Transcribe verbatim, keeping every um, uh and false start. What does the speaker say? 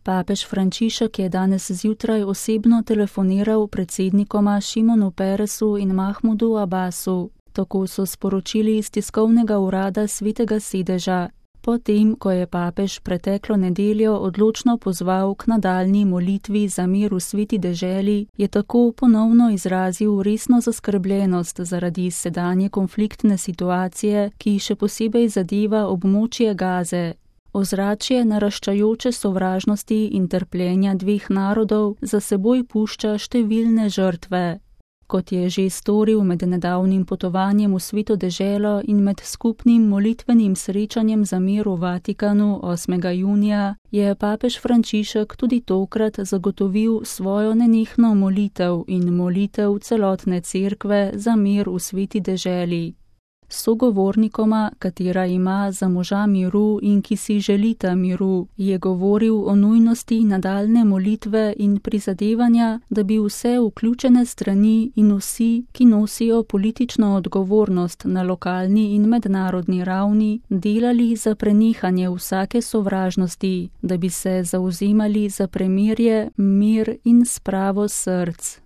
Papež Frančišek je danes zjutraj osebno telefoniral predsednikoma Šimonu Peresu in Mahmudu Abbasu. Tako so sporočili iz tiskovnega urada Svetega sedeža. Potem, ko je papež preteklo nedeljo odločno pozval k nadaljnji molitvi za mir v sveti deželi, je tako ponovno izrazil resno zaskrbljenost zaradi sedanje konfliktne situacije, ki še posebej zadeva območje Gaze. Ozračje naraščajoče sovražnosti in trpljenja dveh narodov za seboj pušča številne žrtve. Kot je že storil med nedavnim potovanjem v sveto deželo in med skupnim molitvenim srečanjem za mir v Vatikanu osmega junija, je papež Frančišek tudi tokrat zagotovil svojo nenehno molitev in molitev celotne cerkve za mir v sveti deželi. Sogovornikoma, katera ima za moža miru in ki si želita miru, je govoril o nujnosti nadaljne molitve in prizadevanja, da bi vse vključene strani in vsi, ki nosijo politično odgovornost na lokalni in mednarodni ravni, delali za prenehanje vsake sovražnosti, da bi se zavzemali za premirje, mir in spravo src.